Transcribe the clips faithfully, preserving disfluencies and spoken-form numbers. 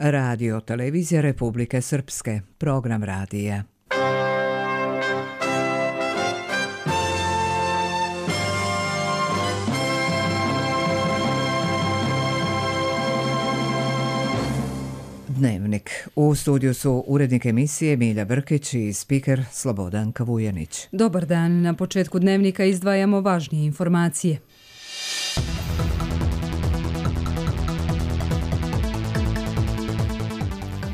Radio Televizija Republike Srpske, program radija. Dnevnik. U studiju su urednik emisije Milja Brkić i spiker Slobodan Kavujanić. Dobar dan. Na početku dnevnika izdvajamo važnije informacije.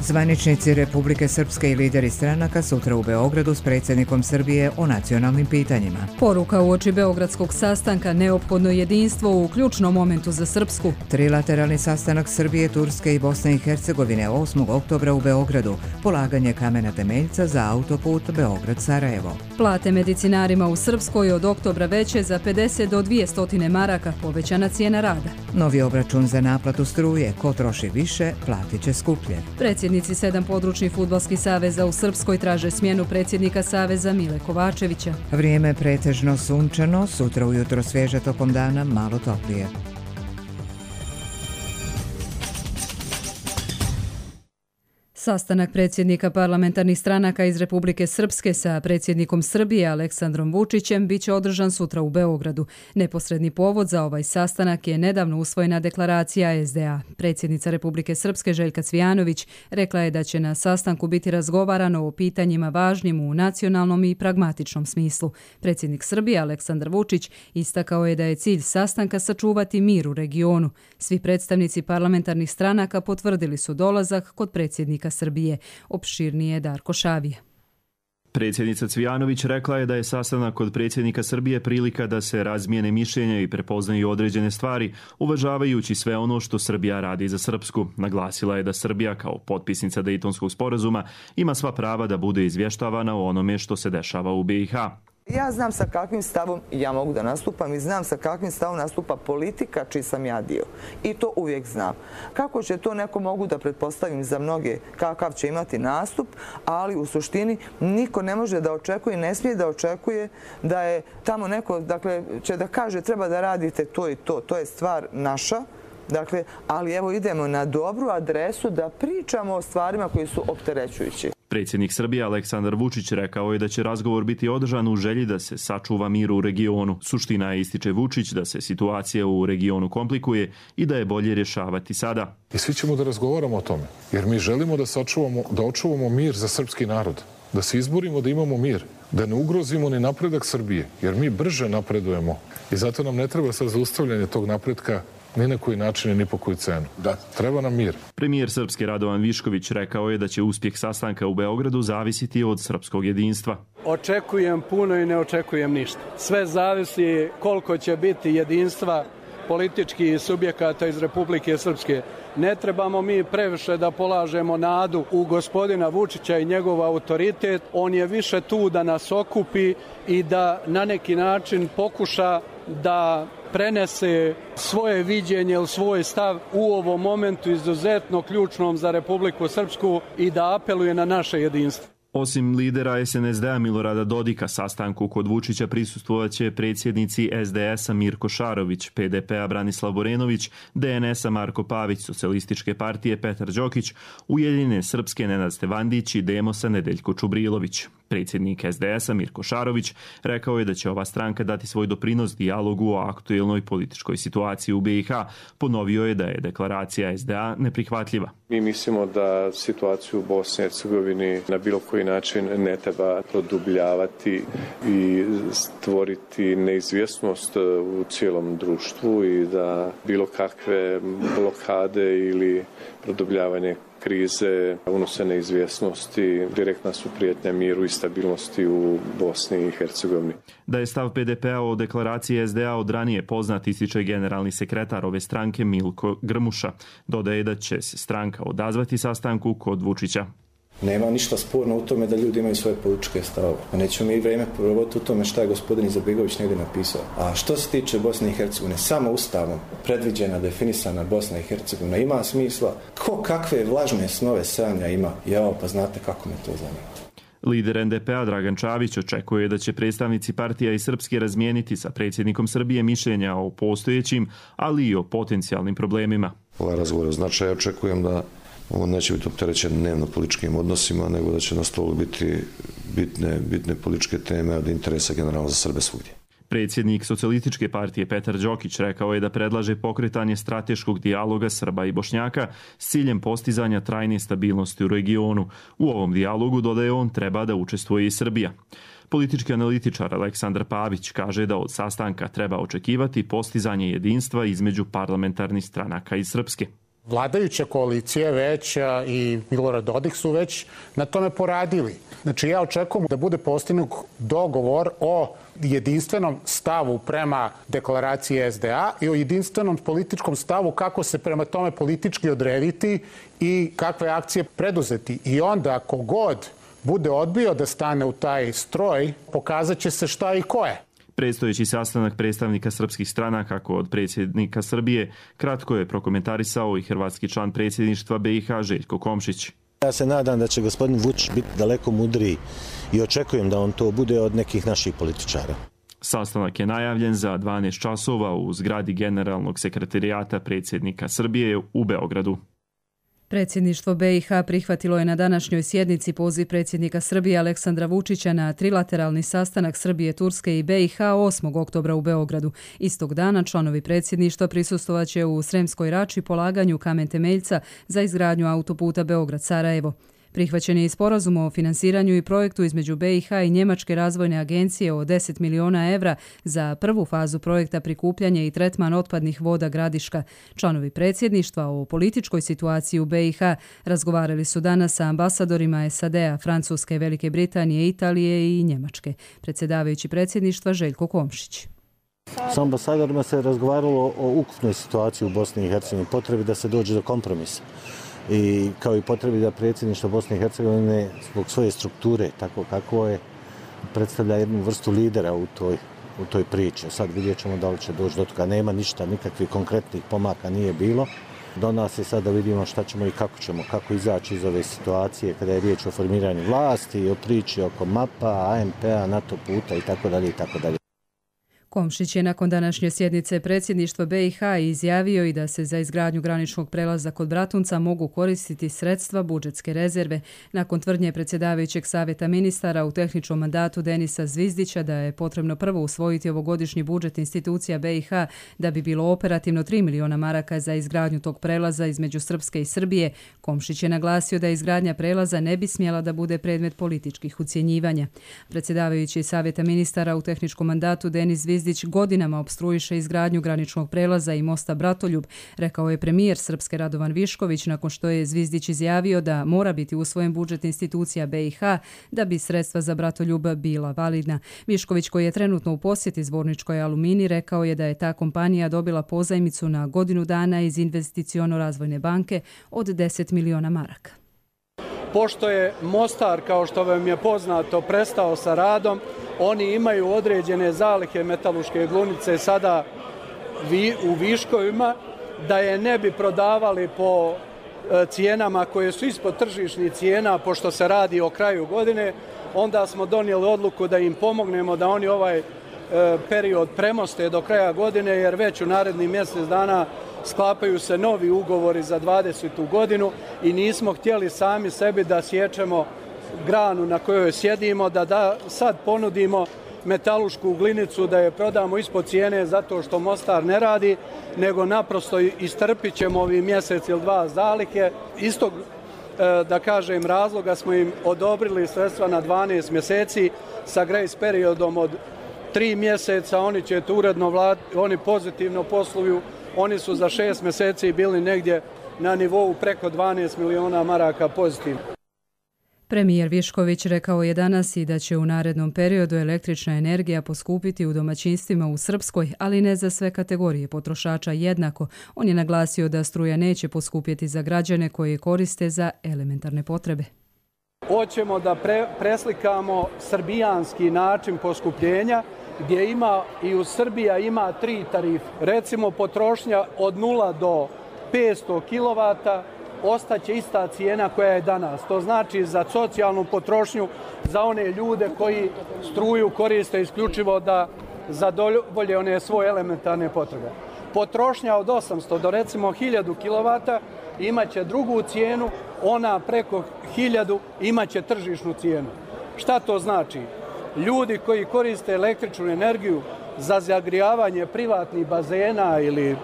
Zvaničnici Republike Srpske i lideri stranaka sutra u Beogradu s predsjednikom Srbije o nacionalnim pitanjima. Poruka uoči beogradskog sastanka: neophodno jedinstvo u ključnom momentu za Srpsku. Trilateralni sastanak Srbije, Turske i Bosne i Hercegovine osmog oktobra u Beogradu. Polaganje kamena temeljca za autoput Beograd-Sarajevo. Plate medicinarima u Srpskoj od oktobra veće za pedeset do dvjesto maraka, povećana cijena rada. Novi obračun za naplatu struje. Ko troši više, platit će skuplje. Predsjednici sedam područnih fudbalskih saveza u Srpskoj traže smjenu predsjednika saveza Mile Kovačevića. Vrijeme pretežno sunčano, sutra ujutro svježe, tokom dana malo toplije. Sastanak predsjednika parlamentarnih stranaka iz Republike Srpske sa predsjednikom Srbije Aleksandrom Vučićem biće održan sutra u Beogradu. Neposredni povod za ovaj sastanak je nedavno usvojena deklaracija S D A. Predsjednica Republike Srpske Željka Cvijanović rekla je da će na sastanku biti razgovarano o pitanjima važnim u nacionalnom i pragmatičnom smislu. Predsjednik Srbije Aleksandar Vučić istakao je da je cilj sastanka sačuvati mir u regionu. Svi predstavnici parlamentarnih stranaka potvrdili su dolazak kod predsjednika Srbije. Opširnije Darko Šavije. Predsjednica Cvijanović rekla je da je sastanak kod predsjednika Srbije prilika da se razmijene mišljenja i prepoznaju određene stvari, uvažavajući sve ono što Srbija radi za Srpsku. Naglasila je da Srbija kao potpisnica Dejtonskog sporazuma ima sva prava da bude izvještavana o onome što se dešava u B i H. Ja znam sa kakvim stavom ja mogu da nastupam i znam sa kakvim stavom nastupa politika čiji sam ja dio. I to uvijek znam. Kako će to neko mogu da pretpostavim za mnoge, kakav će imati nastup, ali u suštini niko ne može da očekuje, ne smije da očekuje da je tamo neko, dakle, će da kaže treba da radite to i to. To je stvar naša. Dakle, ali evo idemo na dobru adresu da pričamo o stvarima koji su opterećujući. Predsjednik Srbije Aleksandar Vučić rekao je da će razgovor biti održan u želji da se sačuva mir u regionu. Suština je, ističe Vučić, da se situacija u regionu komplikuje i da je bolje rješavati sada. I svi ćemo da razgovaramo o tome, jer mi želimo da sačuvamo, da očuvamo mir za srpski narod, da se izborimo da imamo mir, da ne ugrozimo ni napredak Srbije, jer mi brže napredujemo i zato nam ne treba sad zaustavljanje tog napretka ni na koji način i ni po koju cenu. Da, treba nam mir. Premijer Srpske Radovan Višković rekao je da će uspjeh sastanka u Beogradu zavisiti od srpskog jedinstva. Očekujem puno i ne očekujem ništa. Sve zavisi koliko će biti jedinstva političkih subjekata iz Republike Srpske. Ne trebamo mi previše da polažemo nadu u gospodina Vučića i njegov autoritet. On je više tu da nas okupi i da na neki način pokuša da prenese svoje viđenje ili svoj stav u ovom momentu izuzetno ključnom za Republiku Srpsku i da apeluje na naše jedinstvo. Osim lidera S N S D-a Milorada Dodika, sastanku kod Vučića prisustvovaće predsjednici S D S-a Mirko Šarović, P D P-a Branislav Borenović, D N S-a Marko Pavić, Socijalističke partije Petar Đokić, Ujedinjene Srpske Nenad Stevandić i Demosa Nedeljko Čubrilović. Predsjednik S D S-a Mirko Šarović rekao je da će ova stranka dati svoj doprinos dijalogu o aktuelnoj političkoj situaciji u B i H. Ponovio je da je deklaracija S D A neprihvatljiva. Mi mislimo da situaciju u Bosni i Hercegovini na bilo koji način ne treba produbljavati i stvoriti neizvjesnost u cijelom društvu i da bilo kakve blokade ili produbljavanje krize unose neizvjesnosti, direktna su prijetnja miru i stabilnosti u Bosni i Hercegovini. Da je stav P D P-a o deklaraciji S D A od ranije poznat, ističe generalni sekretar ove stranke Milko Grmuša. Dodaje da će se stranka odazvati sastanku kod Vučića. Nema ništa sporno u tome da ljudi imaju svoje političke stavove. A nećemo mi vrijeme provoditi u tome šta je gospodin Izetbegović negdje napisao. A što se tiče Bosne i Hercegovine, samo ustavom predviđena, definisana Bosna i Hercegovina ima smisla. Ko kakve vlažne snove sanja ima? Jao, pa znate kako me to zanima. Lider N D P-a Dragan Čavić očekuje da će predstavnici partija i Srpske razmijeniti sa predsjednikom Srbije mišljenja o postojećim, ali i o potencijalnim problemima. Ovaj razgovor znači, ja očekujem da on neće biti opterećen dnevno političkim odnosima, nego da će na stolu biti bitne, bitne političke teme od interesa generalno za Srbe svugdje. Predsjednik Socijalističke partije Petar Đokić rekao je da predlaže pokretanje strateškog dijaloga Srba i Bošnjaka s ciljem postizanja trajne stabilnosti u regionu. U ovom dijalogu, dodaje on, treba da učestvuje i Srbija. Politički analitičar Aleksandar Pavić kaže da od sastanka treba očekivati postizanje jedinstva između parlamentarnih stranaka iz Srpske. Vladajuća koalicija već i Milorad Dodik su već na tome poradili. Znači ja očekujem da bude postignut dogovor o jedinstvenom stavu prema deklaraciji S D A i o jedinstvenom političkom stavu kako se prema tome politički odrediti i kakve akcije preduzeti. I onda kogod bude odbio da stane u taj stroj, pokazat će se šta i ko je. Predstojeći sastanak predstavnika srpskih stranaka kod predsjednika Srbije kratko je prokomentarisao i hrvatski član predsjedništva B i H Željko Komšić. Ja se nadam da će gospodin Vučić biti daleko mudriji i očekujem da on to bude od nekih naših političara. Sastanak je najavljen za dvanaest časova u zgradi Generalnog sekretarijata predsjednika Srbije u Beogradu. Predsjedništvo B i H prihvatilo je na današnjoj sjednici poziv predsjednika Srbije Aleksandra Vučića na trilateralni sastanak Srbije, Turske i B i H osmog oktobra u Beogradu. Istog dana članovi predsjedništva prisustvovaće u Sremskoj Rači polaganju kamen temeljca za izgradnju autoputa Beograd-Sarajevo. Prihvaćen je i sporazum o finansiranju i projektu između B i H i Njemačke razvojne agencije o deset miliona evra za prvu fazu projekta prikupljanje i tretman otpadnih voda Gradiška. Članovi predsjedništva o političkoj situaciji u B i H razgovarali su danas sa ambasadorima S A D A, Francuske, Velike Britanije, Italije i Njemačke. Predsjedavajući predsjedništva Željko Komšić. S ambasadorima se razgovaralo o ukupnoj situaciji u Bosni i Hercegovini, potrebi da se dođe do kompromisa. I kao i potrebi da predsjedništvo Bosne i Hercegovine zbog svoje strukture, tako kako je, predstavlja jednu vrstu lidera u toj, u toj priči. Sad vidjet ćemo da li će doći do toga. Nema ništa, nikakvih konkretnih pomaka nije bilo. Do nas je sad da vidimo šta ćemo i kako ćemo, kako izaći iz ove situacije kada je riječ o formiranju vlasti, o priči oko mapa, A M P-a, NATO puta i tako dalje i tako dalje. Komšić je nakon današnje sjednice predsjedništva B i H izjavio i da se za izgradnju graničnog prelaza kod Bratunca mogu koristiti sredstva budžetske rezerve. Nakon tvrdnje predsjedavajućeg savjeta ministara u tehničkom mandatu Denisa Zvizdića da je potrebno prvo usvojiti ovogodišnji budžet institucija B i H da bi bilo operativno tri miliona maraka za izgradnju tog prelaza između Srpske i Srbije, Komšić je naglasio da izgradnja prelaza ne bi smjela da bude predmet političkih ucjenjivanja. Predsjedavajući savjeta ministara u tehničkom mandatu Denis Zvizdić godinama opstruiše izgradnju graničnog prelaza i mosta Bratoljub, rekao je premijer Srpske Radovan Višković nakon što je Zvizdić izjavio da mora biti usvojen budžet institucija B i H da bi sredstva za Bratoljub bila validna. Višković, koji je trenutno u posjeti Zvorničkoj Alumini, rekao je da je ta kompanija dobila pozajmicu na godinu dana iz Investiciono-razvojne banke od deset miliona maraka. Pošto je Mostar, kao što vam je poznato, prestao sa radom, oni imaju određene zalihe metaluške glunice sada u viškovima, da je ne bi prodavali po cijenama koje su ispod tržišnih cijena, pošto se radi o kraju godine, onda smo donijeli odluku da im pomognemo da oni ovaj period premoste do kraja godine, jer već u narednih mjesec dana sklapaju se novi ugovori za dvadesetu godinu i nismo htjeli sami sebi da sječemo granu na kojoj sjedimo, da, da sad ponudimo metalušku glinicu, da je prodamo ispod cijene zato što Mostar ne radi, nego naprosto istrpit ćemo ovi mjesec ili dva zalihe. Istog, da kažem, razloga smo im odobrili sredstva na dvanaest mjeseci sa grace periodom od tri mjeseca. Oni će to uredno vlad, oni pozitivno posluju. Oni su za šest mjeseci bili negdje na nivou preko dvanaest miliona maraka pozitivno. Premijer Višković rekao je danas i da će u narednom periodu električna energija poskupiti u domaćinstvima u Srpskoj, ali ne za sve kategorije potrošača jednako. On je naglasio da struja neće poskupjeti za građane koji je koriste za elementarne potrebe. Hoćemo da pre, preslikamo srbijanski način poskupljenja, gdje ima i u Srbija ima tri tarife. Recimo potrošnja od nula do petsto kilovata ostaće ista cijena koja je danas. To znači za socijalnu potrošnju, za one ljude koji struju koriste isključivo da zadovolje one svoje elementarne potrebe. Potrošnja od osamsto do recimo hiljadu kilovata imaće drugu cijenu, ona preko hiljadu imaće tržišnu cijenu. Šta to znači? Ljudi koji koriste električnu energiju za zagrijavanje privatnih bazena ili,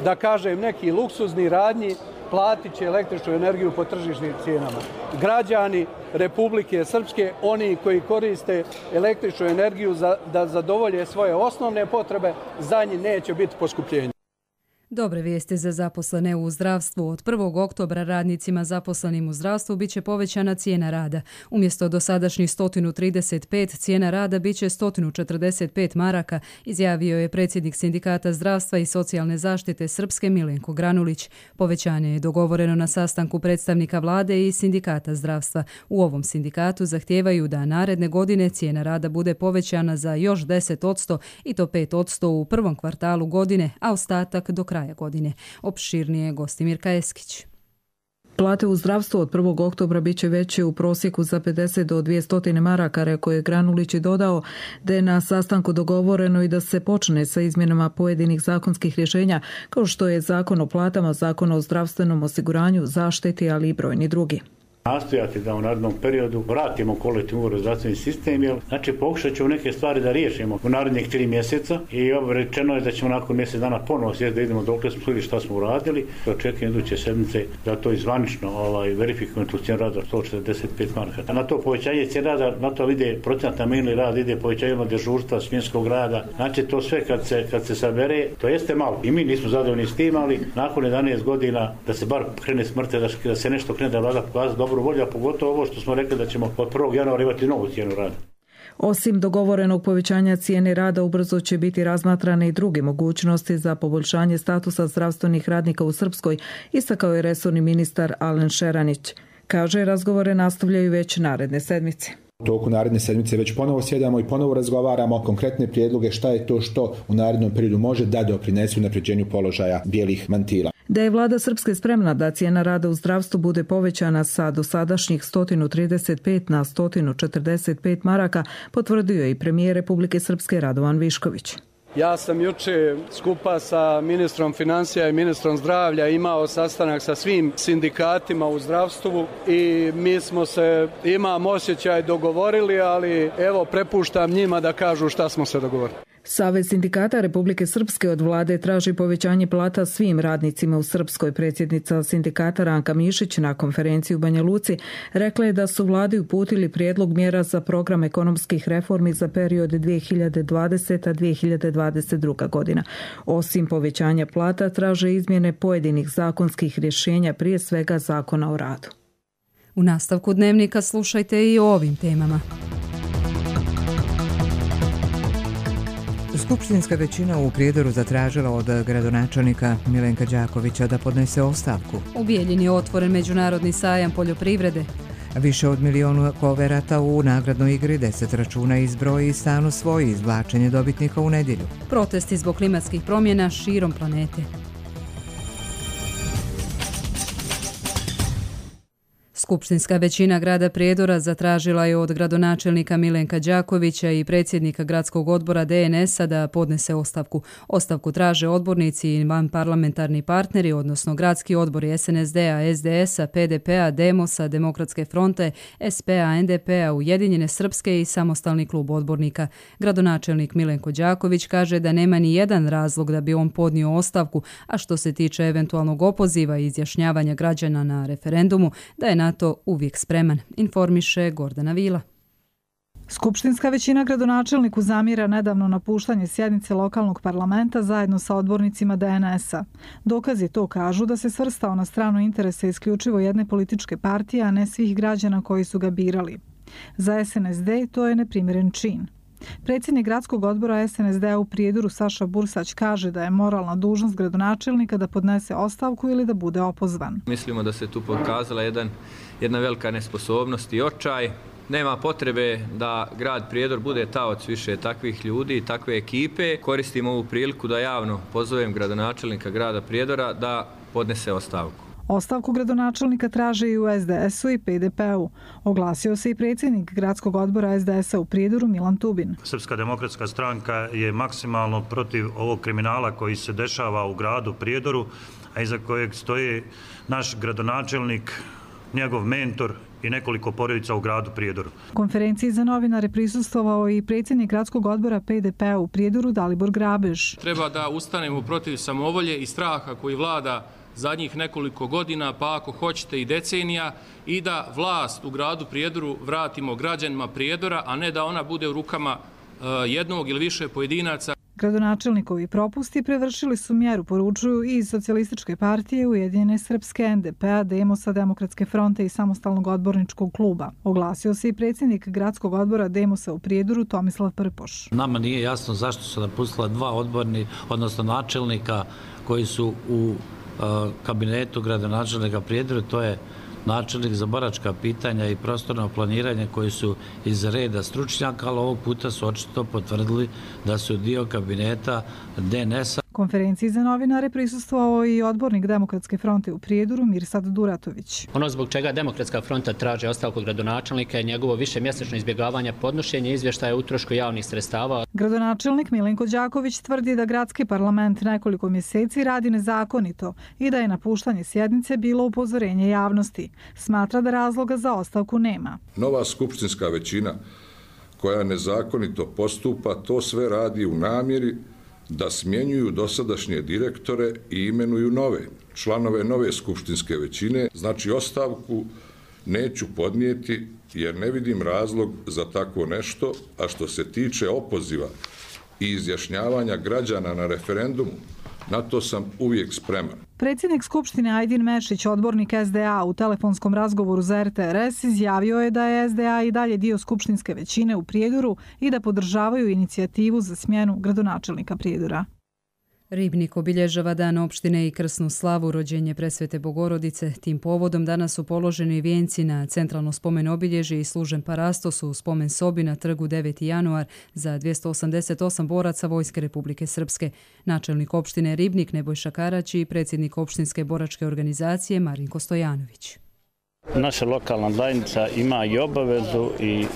da kažem, neki luksuzni radnji, platit će električnu energiju po tržišnim cijenama. Građani Republike Srpske, oni koji koriste električnu energiju za, da zadovolje svoje osnovne potrebe, za njih neće biti poskupljenja. Dobre vijesti za zaposlene u zdravstvu. Od prvog oktobra radnicima zaposlenim u zdravstvu biće povećana cijena rada. Umjesto dosadašnjih sto trideset pet, cijena rada biće sto četrdeset pet maraka, izjavio je predsjednik Sindikata zdravstva i socijalne zaštite Srpske Milenko Granulić. Povećanje je dogovoreno na sastanku predstavnika vlade i Sindikata zdravstva. U ovom sindikatu zahtijevaju da naredne godine cijena rada bude povećana za još deset posto i to pet posto u prvom kvartalu godine, a ostatak do kraja godine. Opširnije Gostimirka Eskić. Plate u zdravstvu od prvog oktobra biće veće u prosjeku za pedeset do dvjesto maraka, rekao je Granulić i dodao da je na sastanku dogovoreno i da se počne sa izmjenama pojedinih zakonskih rješenja, kao što je Zakon o platama, Zakon o zdravstvenom osiguranju, zaštiti, ali i brojni drugi. Nastojati da u narednom periodu vratimo kolektivni ugovor u zdravstveni sistem, jer znači pokušat ćemo neke stvari da riješimo u narednih tri mjeseca i rečeno je da ćemo nakon mjesec dana ponovo sjeti da idemo dokle smo ili šta smo uradili. Očekujem iduće sedmice da to izvanično ovaj, verifikujemo tu cijenu rada sto četrdeset pet maraka. A na to povećanje cijene rada, na to ide procenat na minuli rad, ide povećanje dežurstva, smjenskog rada. Znači to sve kad se, kad se sabere, to jeste malo. I mi nismo zadovoljni s tim, ali nakon jedanaest godina da se bar krene smrte, da, da se nešto krene da vlada pokazati dobro volja, pogotovo ovo što smo rekli da ćemo od prvog januara imati novu cijenu rada. Osim dogovorenog povećanja cijene rada, ubrzo će biti razmatrane i druge mogućnosti za poboljšanje statusa zdravstvenih radnika u Srpskoj, istakao je resorni ministar Alen Šeranić. Kaže, razgovore nastavljaju već naredne sedmice. U toku naredne sedmice već ponovo sjedamo i ponovo razgovaramo konkretne prijedloge šta je to što u narednom periodu može da doprinese unapređenju položaja bijelih mantila. Da je vlada Srpske spremna da cijena rada u zdravstvu bude povećana sa dosadašnjih sto trideset pet na sto četrdeset pet maraka, potvrdio je i premijer Republike Srpske Radovan Višković. Ja sam juče skupa sa ministrom financija i ministrom zdravlja imao sastanak sa svim sindikatima u zdravstvu i mi smo se, imam osjećaj, dogovorili, ali evo prepuštam njima da kažu šta smo se dogovorili. Savez sindikata Republike Srpske od vlade traži povećanje plata svim radnicima u Srpskoj. Predsjednica sindikata Ranka Mišić na konferenciji u Banja Luci rekla je da su vladi uputili prijedlog mjera za program ekonomskih reformi za period dvije hiljade dvadeseta do dvije hiljade dvadeset druga. godina. Osim povećanja plata, traže izmjene pojedinih zakonskih rješenja, prije svega Zakona o radu. U nastavku dnevnika slušajte i o ovim temama. Skupštinska većina u Prijedoru zatražila od gradonačelnika Milenka Đakovića da podnese ostavku. U Bijeljini je otvoren međunarodni sajam poljoprivrede. Više od milijonu koverata u nagradnoj igri, deset računa izbroji i stan osvoji, izvlačenje dobitnika u nedjelju. Protesti zbog klimatskih promjena širom planete. Skupštinska većina grada Prijedora zatražila je od gradonačelnika Milenka Đakovića i predsjednika gradskog odbora D N S-a da podnese ostavku. Ostavku traže odbornici i vanparlamentarni partneri, odnosno gradski odbori S N S D-a, S D S-a, P D P-a, Demosa, Demokratske fronte, S P-a, N D P-a, Ujedinjene Srpske i samostalni klub odbornika. Gradonačelnik Milenko Đaković kaže da nema ni jedan razlog da bi on podnio ostavku, a što se tiče eventualnog opoziva i izjašnjavanja građana na referendumu, da je na to uvijek spreman, informiše Gordana Vila. Skupštinska većina gradonačelniku zamjera nedavno napuštanje sjednice lokalnog parlamenta zajedno sa odbornicima D N S-a. Dokazi to kažu da se svrstao na stranu interesa isključivo jedne političke partije, a ne svih građana koji su ga birali. Za S N S D to je neprimjeren čin. Predsjednik gradskog odbora S N S D-a u Prijedoru Saša Bursać kaže da je moralna dužnost gradonačelnika da podnese ostavku ili da bude opozvan. Mislimo da se tu pokazala jedan, jedna velika nesposobnost i očaj. Nema potrebe da grad Prijedor bude taoc više takvih ljudi i takve ekipe. Koristim ovu priliku da javno pozovem gradonačelnika grada Prijedora da podnese ostavku. Ostavku gradonačelnika traže i u S D S-u i P D P-u. Oglasio se i predsjednik gradskog odbora S D S-a u Prijedoru Milan Tubin. Srpska demokratska stranka je maksimalno protiv ovog kriminala koji se dešava u gradu Prijedoru, a iza kojeg stoji naš gradonačelnik, njegov mentor i nekoliko porodica u gradu Prijedoru. Konferenciji za novinare prisustvovao i predsjednik gradskog odbora P D P-a u Prijedoru Dalibor Grabež. Treba da ustanemo protiv samovolje i straha koji vlada zadnjih nekoliko godina, pa ako hoćete i decenija, i da vlast u gradu Prijedoru vratimo građanima Prijedora, a ne da ona bude u rukama jednog ili više pojedinaca. Gradonačelnikovi propusti prevršili su mjeru, poručuju i iz Socijalističke partije, Ujedinjene srpske, N D P-a, Demosa, Demokratske fronte i Samostalnog odborničkog kluba. Oglasio se i predsjednik gradskog odbora Demosa u Prijedoru Tomislav Prpoš. Nama nije jasno zašto su napustila dva odborni, odnosno načelnika koji su u kabinetu gradonačelnika Prijedoru, to je načelnik za boračka pitanja i prostorno planiranje koji su iz reda stručnjaka, ali ovog puta su očito potvrdili da su dio kabineta D N S-a. Konferenciji za novinare prisustvovao i odbornik Demokratske fronte u Prijedoru Mirsad Duratović. Ono zbog čega Demokratska fronta traži ostavku gradonačelnika je njegovo višemjesečno izbjegavanje podnošenja izvještaja o utrošku javnih sredstava. Gradonačelnik Milenko Đaković tvrdi da gradski parlament nekoliko mjeseci radi nezakonito i da je napuštanje sjednice bilo upozorenje javnosti. Smatra da razloga za ostavku nema. Nova skupštinska većina koja nezakonito postupa, to sve radi u namjeri da smjenjuju dosadašnje direktore i imenuju nove članove nove skupštinske većine. Znači, ostavku neću podnijeti jer ne vidim razlog za tako nešto, a što se tiče opoziva i izjašnjavanja građana na referendumu, na to sam uvijek spreman. Predsjednik Skupštine Ajdin Mešić, odbornik S D A, u telefonskom razgovoru za R T R S izjavio je da je S D A i dalje dio skupštinske većine u Prijedoru i da podržavaju inicijativu za smjenu gradonačelnika Prijedora. Ribnik obilježava dan opštine i krsnu slavu, rođenje Presvete Bogorodice. Tim povodom danas su položeni vijenci na centralno spomen obilježje i služen parastos u spomen sobi na trgu deveti januar za dvjesto osamdeset osam boraca Vojske Republike Srpske. Načelnik opštine Ribnik Nebojša Karać i predsjednik opštinske boračke organizacije Marinko Stojanović. Naša lokalna zajednica ima i obavezu i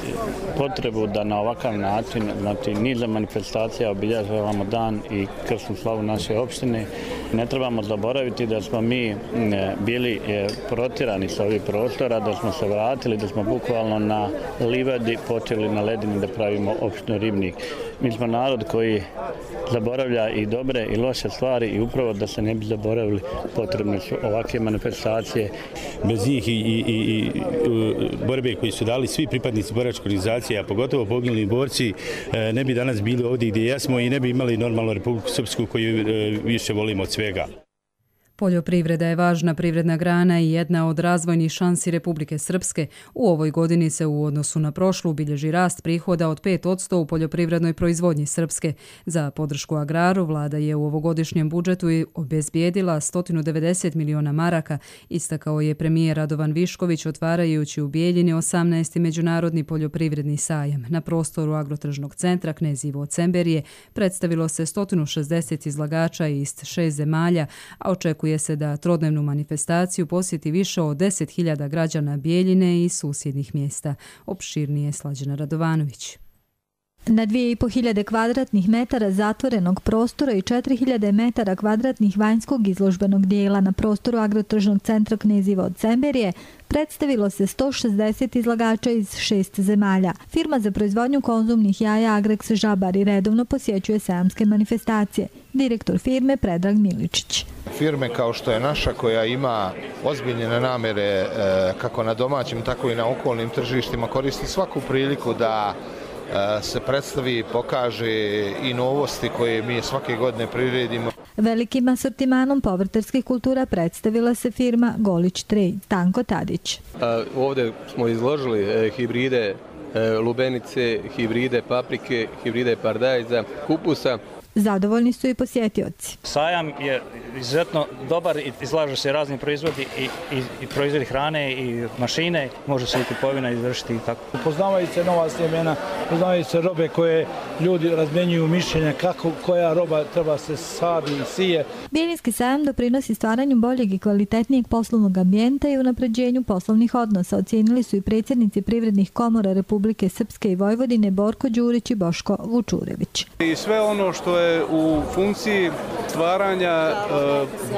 potrebu da na ovakav način, znači niza manifestacija obilježavamo dan i krsnu slavu naše opštine. Ne trebamo zaboraviti da smo mi bili protirani sa ovih prostora, da smo se vratili, da smo bukvalno na livadi počeli na ledini da pravimo opštinu Ribnik. Mi smo narod koji zaboravlja i dobre i loše stvari i upravo da se ne bi zaboravili potrebne su ovakve manifestacije. Bez njih i, i, i borbe koji su dali svi pripadnici boračke organizacije, a pogotovo poginuli borci, ne bi danas bili ovdje gdje jesmo i ne bi imali normalnu Republiku Srpsku koju više volimo od svega. Poljoprivreda je važna privredna grana i jedna od razvojnih šansi Republike Srpske. U ovoj godini se u odnosu na prošlu bilježi rast prihoda od pet posto u poljoprivrednoj proizvodnji Srpske. Za podršku agraru vlada je u ovogodišnjem budžetu obezbijedila sto devedeset miliona maraka, istakao je premijer Radovan Višković otvarajući u Bijeljini osamnaesti međunarodni poljoprivredni sajam. Na prostoru agrotržnog centra Knezivo Cemberije predstavilo se sto šezdeset izlagača iz šest zemalja, a očekuje se da trodnevnu manifestaciju posjeti više od deset hiljada građana Bijeljine i susjednih mjesta. Opširnije Slađana Radovanović. Na dvije i po hiljade kvadratnih metara zatvorenog prostora i četiri hiljade metara kvadratnih vanjskog izložbenog dijela na prostoru agrotržnog centra Knezivo od Cemberije predstavilo se sto šezdeset izlagača iz šest zemalja. Firma za proizvodnju konzumnih jaja Agrex Žabari redovno posjećuje sajamske manifestacije. Direktor firme Predrag Miličić. Firme kao što je naša koja ima ozbiljne namjere kako na domaćim tako i na okolnim tržištima koristi svaku priliku da se predstavi, pokaže i novosti koje mi svake godine priredimo. Velikim asortimanom povrtarskih kultura predstavila se firma Golić Trade. Tanko Tadić. Ovdje smo izložili hibride lubenice, hibride paprike, hibride paradajza, kupusa. Zadovoljni su i posjetioci. Sajam je izuzetno dobar i izlažu se razni proizvodi i, i, i proizvodi hrane i mašine. Može se i kupovina izvršiti i tako. Upoznavaju se nova sjemena, poznaju se robe koje ljudi razmenjuju mišljenja kako koja roba treba se sadi i sije. Bjeljinski sajam doprinosi stvaranju boljeg i kvalitetnijeg poslovnog ambijenta i unapređenju poslovnih odnosa, ocijenili su i predsjednici privrednih komora Republike Srpske i Vojvodine Borko Đurić i Boško Vučurević. I sve ono što je u funkciji stvaranja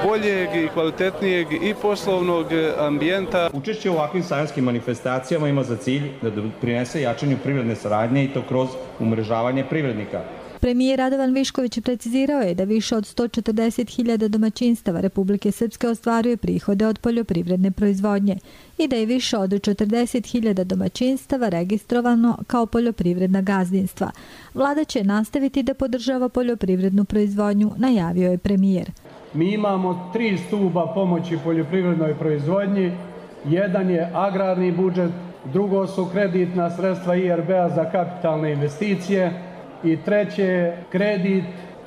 boljeg i kvalitetnijeg i poslovnog ambijenta. Učešće u ovakvim sajamskim manifestacijama ima za cilj da doprinese jačanju privredne saradnje i to kroz umrežavanje privrednika. Premijer Radovan Višković precizirao je da više od sto četrdeset hiljada domaćinstava Republike Srpske ostvaruje prihode od poljoprivredne proizvodnje i da je više od četrdeset hiljada domaćinstava registrovano kao poljoprivredna gazdinstva. Vlada će nastaviti da podržava poljoprivrednu proizvodnju, najavio je premijer. Mi imamo tri stuba pomoći poljoprivrednoj proizvodnji. Jedan je agrarni budžet, drugo su kreditna sredstva I R B-a za kapitalne investicije i treće je kredit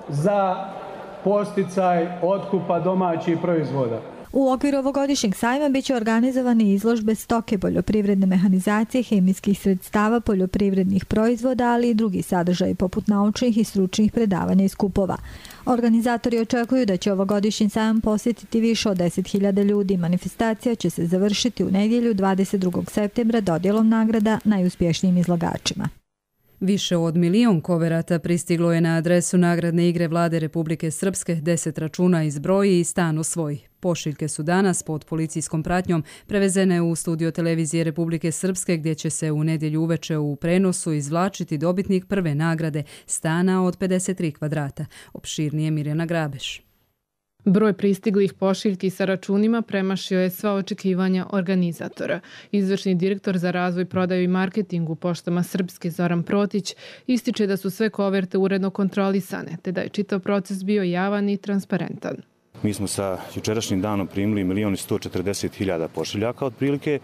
za podsticaj otkupa domaćih proizvoda. U okviru ovogodišnjeg sajma biće organizovane izložbe stoke, poljoprivredne mehanizacije, hemijskih sredstava, poljoprivrednih proizvoda, ali i drugi sadržaji poput naučnih i stručnih predavanja i skupova. Organizatori očekuju da će ovogodišnji sajam posjetiti više od deset hiljada ljudi. Manifestacija će se završiti u nedjelju dvadeset drugog septembra dodjelom nagrada najuspješnijim izlagačima. Više od milion koverata pristiglo je na adresu nagradne igre Vlade Republike Srpske, deset računa iz broji i stan osvoji. Pošiljke su danas pod policijskom pratnjom prevezene u studio televizije Republike Srpske gdje će se u nedjelju uveče u prenosu izvlačiti dobitnik prve nagrade stana od pedeset tri kvadrata. Opširnije Mirjana Grabeš. Broj pristiglih pošiljki sa računima premašio je sva očekivanja organizatora. Izvršni direktor za razvoj, prodaju i marketing u Poštama Srpske Zoran Protić ističe da su sve koverte uredno kontrolisane, te da je čitav proces bio javan i transparentan. Mi smo sa jučerašnjim danom primili milion i sto četrdeset hiljada pošiljaka otprilike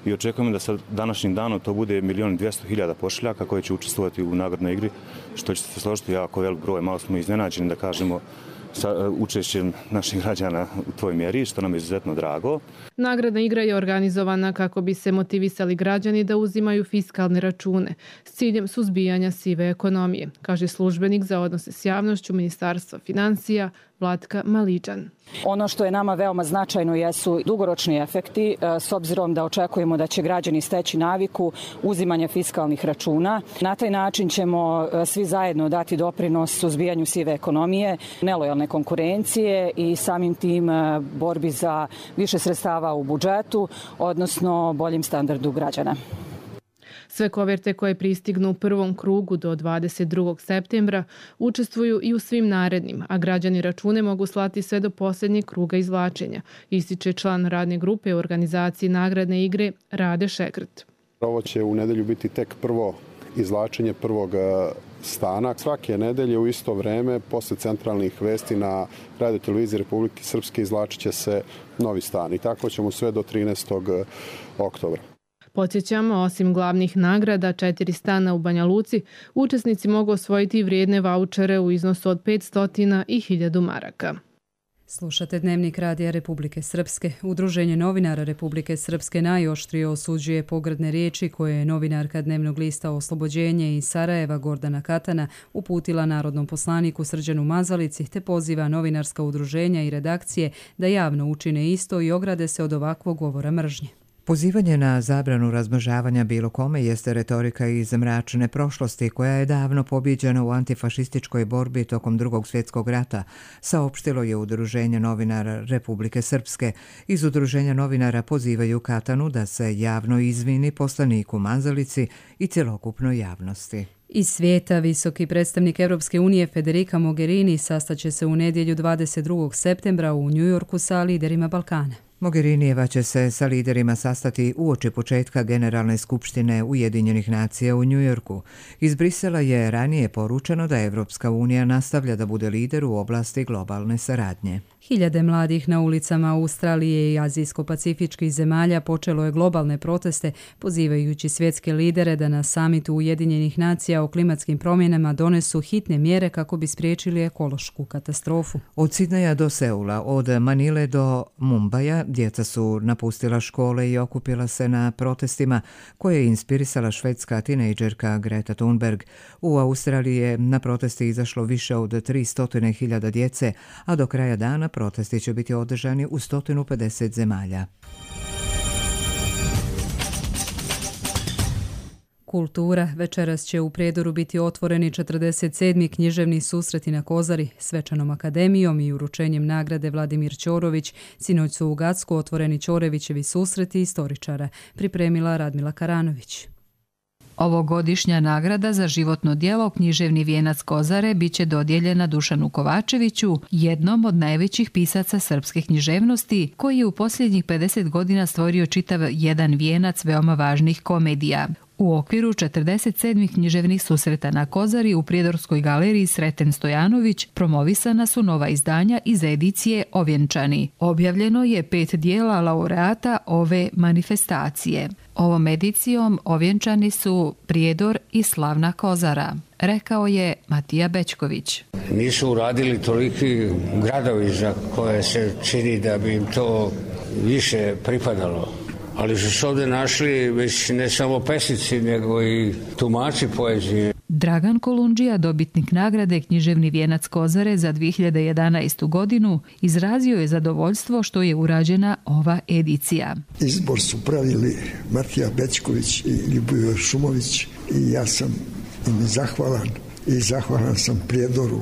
i očekujemo da sa današnjim danom to bude milion i dvjesto hiljada pošiljaka koje će učestvovati u nagradnoj igri, što će se složiti jako velik broj. Malo smo iznenađeni da kažemo sa učešćem naših građana u tvoj mjeri, što nam je izuzetno drago. Nagradna igra je organizovana kako bi se motivisali građani da uzimaju fiskalne račune s ciljem suzbijanja sive ekonomije, kaže službenik za odnose s javnošću Ministarstva financija Vlatka Maliđan. Ono što je nama veoma značajno jesu dugoročni efekti, s obzirom da očekujemo da će građani steći naviku uzimanja fiskalnih računa. Na taj način ćemo svi zajedno dati doprinos suzbijanju sive ekonomije, nelojalne konkurencije i samim tim borbi za više sredstava u budžetu, odnosno boljem standardu građana. Sve koverte koje pristignu u prvom krugu do dvadeset drugog septembra učestvuju i u svim narednim, a građani račune mogu slati sve do posljednjeg kruga izvlačenja, ističe član radne grupe u organizaciji nagradne igre Rade Šegrt. Ovo će u nedelju biti tek prvo izvlačenje prvog stana. Svake nedelje u isto vreme, posle centralnih vesti na Radio televiziji Republike Srpske izvlačit će se novi stan i tako ćemo sve do trinaestog oktobra. Podsjećamo, osim glavnih nagrada, četiri stana u Banja Luci, učesnici mogu osvojiti vrijedne vaučere u iznosu od petsto i hiljadu maraka. Slušate Dnevnik Radija Republike Srpske. Udruženje novinara Republike Srpske najoštrije osuđuje pogrdne riječi koje je novinarka dnevnog lista Oslobođenje iz Sarajeva Gordana Katana uputila narodnom poslaniku Srđanu Mazalici, te poziva novinarska udruženja i redakcije da javno učine isto i ograde se od ovakvog govora mržnje. Pozivanje na zabranu razmnožavanja bilo kome jeste retorika iz mračne prošlosti koja je davno pobjeđena u antifašističkoj borbi tokom drugog svjetskog rata, saopštilo je Udruženje novinara Republike Srpske. Iz Udruženja novinara pozivaju Katanu da se javno izvini poslaniku Mazalici i cjelokupnoj javnosti. Iz svijeta visoki predstavnik Europske unije Federica Mogherini sastaće se u nedjelju dvadeset drugog septembra u Njujorku sa liderima Balkana. Mogherinijeva će se sa liderima sastati uoči početka Generalne skupštine Ujedinjenih nacija u Njujorku. Iz Brisela je ranije poručeno da Evropska unija nastavlja da bude lider u oblasti globalne saradnje. Hiljade mladih na ulicama Australije i azijsko-pacifičkih zemalja počelo je globalne proteste pozivajući svjetske lidere da na samitu Ujedinjenih nacija o klimatskim promjenama donesu hitne mjere kako bi spriječili ekološku katastrofu. Od Sidneja do Seula, od Manile do Mumbaja, djeca su napustila škole i okupila se na protestima koje je inspirisala švedska tinejdžerka Greta Thunberg. U Australiji je na protesti izašlo više od tristo hiljada djece, a do kraja dana protesti će biti održani u sto pedeset zemalja. Kultura. Večeras će u Prijedoru biti otvoreni četrdeset sedmi književni susreti na Kozari. Svečanom akademijom i uručenjem nagrade Vladimir Ćorović sinoć su u Gacku otvoreni Ćorevićevi susreti istoričara, pripremila Radmila Karanović. Ovogodišnja nagrada za životno djelo Književni vijenac Kozare biće dodijeljena Dušanu Kovačeviću, jednom od najvećih pisaca srpske književnosti, koji je u posljednjih pedeset godina stvorio čitav jedan vijenac veoma važnih komedija. U okviru četrdeset sedmih književnih susreta na Kozari u Prijedorskoj galeriji Sreten Stojanović promovisana su nova izdanja iz edicije Ovjenčani. Objavljeno je pet dijela laureata ove manifestacije. Ovom edicijom ovjenčani su Prijedor i slavna Kozara, rekao je Matija Bećković. Nisu uradili toliki gradovi za koje se čini da bi im to više pripadalo. Ali su se ovdje našli već ne samo pesnici, nego i tumači poezije. Dragan Kolundžija, dobitnik nagrade Književni vijenac Kozare za dvije hiljade jedanaestu. godinu, izrazio je zadovoljstvo što je urađena ova edicija. Izbor su pravili Matija Bećković i Ljubomir Šumović i ja sam im zahvalan i zahvalan sam Prijedoru.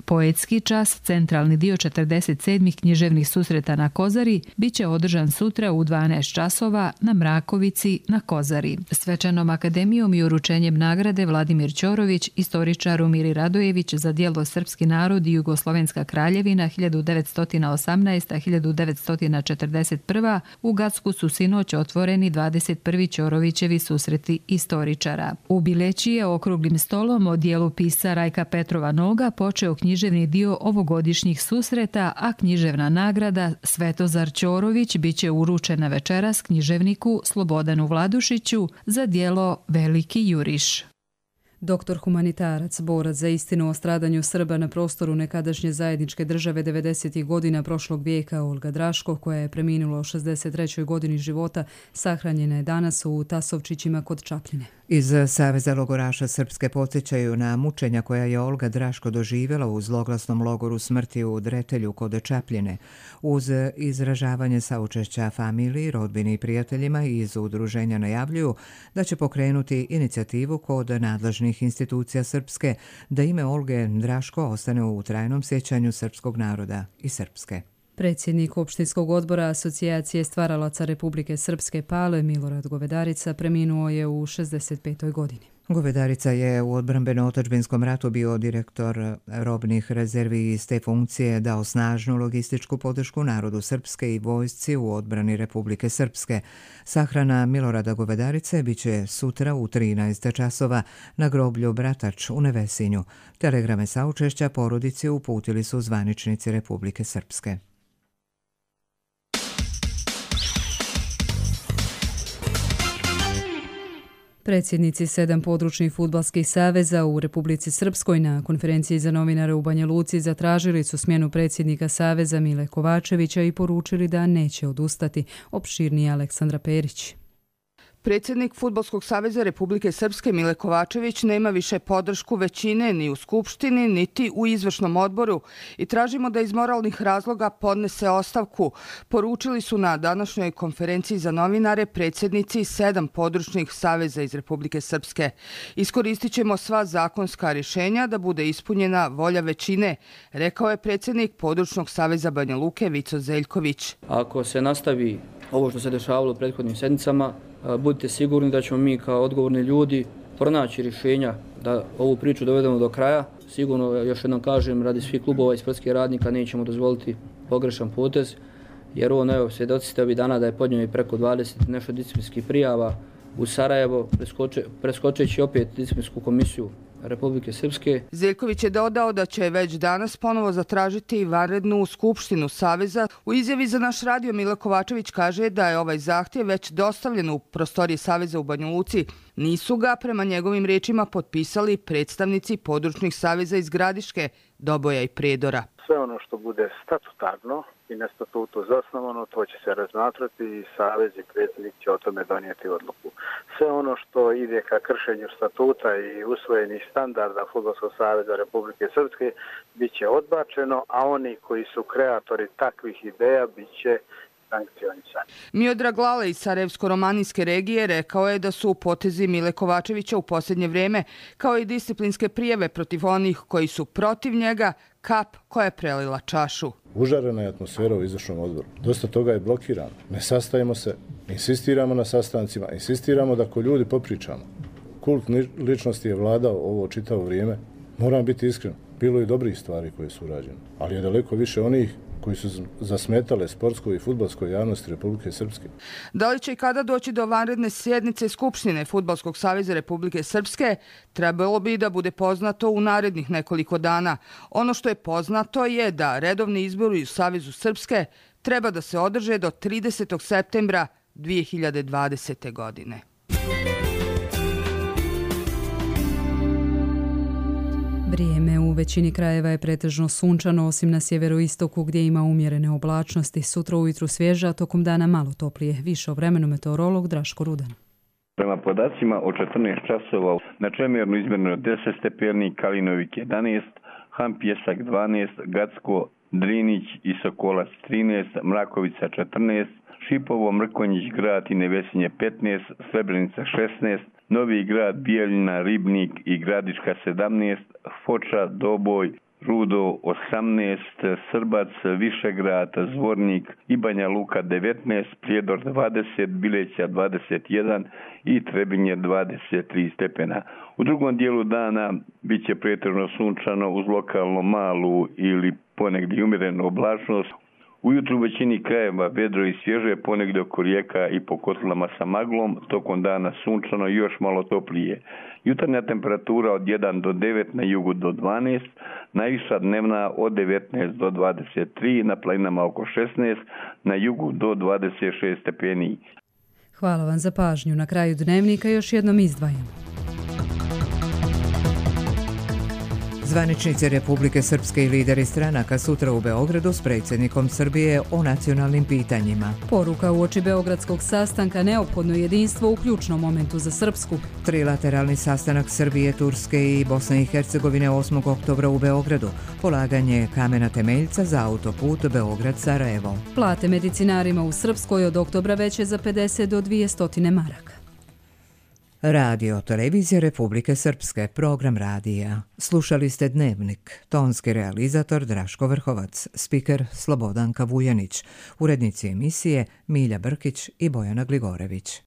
Poetski čas, centralni dio četrdeset sedmih književnih susreta na Kozari, bit će održan sutra u dvanaest časova na Mrakovici na Kozari. Svečanom akademijom i uručenjem nagrade Vladimir Ćorović, istoričar Miri Radojević za djelo Srpski narod i Jugoslovenska kraljevina hiljadu devetsto osamnaesta do hiljadu devetsto četrdeset prva. u Gacku su sinoć otvoreni dvadeset prvi Ćorovićevi susreti istoričara. U Bileći je okruglim stolom o dijelu pisca Rajka Petrova Noga počeo književni književni dio ovogodišnjih susreta, a književna nagrada Svetozar Ćorović biće uručena večeras književniku Slobodanu Vladušiću za djelo Veliki juriš. Doktor humanitarac, borac za istinu o stradanju Srba na prostoru nekadašnje zajedničke države devedesetih godina prošlog vijeka Olga Draško, koja je preminula u šezdeset trećoj godini života, sahranjena je danas u Tasovčićima kod Čapljine. Iz Saveza logoraša Srpske podsjećaju na mučenja koja je Olga Draško doživjela u zloglasnom logoru smrti u Dretelju kod Čapljine. Uz izražavanje saučešća familiji, rodbini i prijateljima iz udruženja najavljuju da će pokrenuti inicijativu kod nadležnih institucija Srpske da ime Olge Draško ostane u trajnom sjećanju srpskog naroda i Srpske. Predsjednik opštinskog odbora Asocijacije stvaralaca Republike Srpske Pale Milorad Govedarica preminuo je u šezdeset petoj godini. Govedarica je u odbrambeno-otadžbinskom ratu bio direktor robnih rezervi i iz te funkcije dao snažnu logističku podršku narodu Srpske i vojsci u odbrani Republike Srpske. Sahrana Milorada Govedarice biće sutra u trinaest časova na groblju Bratač u Nevesinju. Telegrame saučešća porodici uputili su zvaničnici Republike Srpske. Predsjednici sedam područnih fudbalskih saveza u Republici Srpskoj na konferenciji za novinare u Banja Luci zatražili su smjenu predsjednika saveza Mile Kovačevića i poručili da neće odustati. Opširnije Aleksandra Perić. Predsjednik Fudbalskog saveza Republike Srpske Mile Kovačević nema više podršku većine ni u Skupštini, niti u izvršnom odboru i tražimo da iz moralnih razloga podnese ostavku. Poručili su na današnjoj konferenciji za novinare predsjednici sedam područnih saveza iz Republike Srpske. Iskoristit ćemo sva zakonska rješenja da bude ispunjena volja većine, rekao je predsjednik područnog saveza Banja Luke Vico Zeljković. Ako se nastavi ovo što se dešavalo u prethodnim sedmicama, budite sigurni da ćemo mi kao odgovorni ljudi pronaći rješenja da ovu priču dovedemo do kraja. Sigurno, još jednom kažem, radi svih klubova i sportskih radnika nećemo dozvoliti pogrešan potez, jer ovo, evo, svjedoci ste ovih dana da je podnio i preko dvadeset nešto disciplinskih prijava u Sarajevo, preskoče, preskočeći opet disciplinsku komisiju Republike Srpske. Zeljković je dodao da će već danas ponovo zatražiti vanrednu skupštinu Saveza. U izjavi za naš radio Mile Kovačević kaže da je ovaj zahtjev već dostavljen u prostorije Saveza u Banja Luci. Nisu ga, prema njegovim rečima, potpisali predstavnici područnih saveza iz Gradiške, Doboja i Predora. Sve ono što bude statutarno i na statutu zasnovano, to će se razmatrati i Savez i predsjednik će o tome donijeti odluku. Sve ono što ide ka kršenju statuta i usvojenih standarda Fudbalskog saveza Republike Srpske bit će odbačeno, a oni koji su kreatori takvih ideja bit će sankcionisani. Miodrag Lale iz Sarajevsko-romanijske regije rekao je da su potezi Mile Kovačevića u posljednje vrijeme, kao i disciplinske prijave protiv onih koji su protiv njega, kap koja je prelila čašu. Užarena je atmosfera u izvršnom odboru. Dosta toga je blokirano. Ne sastajemo se, insistiramo na sastancima, insistiramo da ko ljudi popričamo. Kult ličnosti je vladao ovo čitavo vrijeme. Moram biti iskren, bilo je dobrih stvari koje su urađene, ali je daleko više onih koji su zasmetale sportskoj i fudbalskoj javnosti Republike Srpske. Da li će i kada doći do vanredne sjednice Skupštine Fudbalskog saveza Republike Srpske, trebalo bi da bude poznato u narednih nekoliko dana. Ono što je poznato je da redovni izbori u Savezu Srpske treba da se održe do tridesetog septembra dvije hiljade dvadesete. godine. Vrijeme u većini krajeva je pretežno sunčano, osim na sjeveroistoku gdje ima umjerene oblačnosti. Sutra ujutru svježa, tokom dana malo toplije. Više o vremenu meteorolog Draško Rudan. Prema podacima o četrnaest časova na Čemernu izmjereno deset stepeni, Kalinovik jedanaest, Han Pjesak dvanaest, Gacko, Drinić i Sokolac trinaest, Mrakovica četrnaest, Šipovo, Mrkonjić grad i Nevesinje petnaest, Srebrenica šesnaest, Novi grad, Bijeljina, Ribnik i Gradiška sedamnaest, Foča, Doboj, Rudo osamnaest, Srbac, Višegrad, Zvornik i Banja Luka devetnaest, Prijedor dvadeset, Bileća dvadeset jedan i Trebinje dvadeset tri stepena. U drugom dijelu dana bit će pretežno sunčano uz lokalno malu ili ponegdje umjerenu oblačnost. Ujutru u većini krajeva vedro i svježe, ponegdje oko rijeka i po kotlama sa maglom, tokom dana sunčano i još malo toplije. Jutarnja temperatura od jedan do devet, na jugu do dvanaest, najviša dnevna od devetnaest do dvadeset tri, na planinama oko šesnaest, na jugu do dvadeset šest stepeni. Hvala vam za pažnju. Na kraju dnevnika još jednom izdvajamo. Zvaničnici Republike Srpske i lideri stranaka sutra u Beogradu s predsjednikom Srbije o nacionalnim pitanjima. Poruka uoči beogradskog sastanka: neophodno jedinstvo u ključnom momentu za Srpsku. Trilateralni sastanak Srbije, Turske i Bosne i Hercegovine osmog oktobra u Beogradu. Polaganje kamena temeljca za autoput Beograd-Sarajevo. Plate medicinarima u Srpskoj od oktobra veće za pedeset do dvjesto maraka. Radio Televizija Republike Srpske, program radija. Slušali ste Dnevnik, tonski realizator Draško Vrhovac, spiker Slobodanka Vujanić, urednici emisije Milja Brkić i Bojana Gligorević.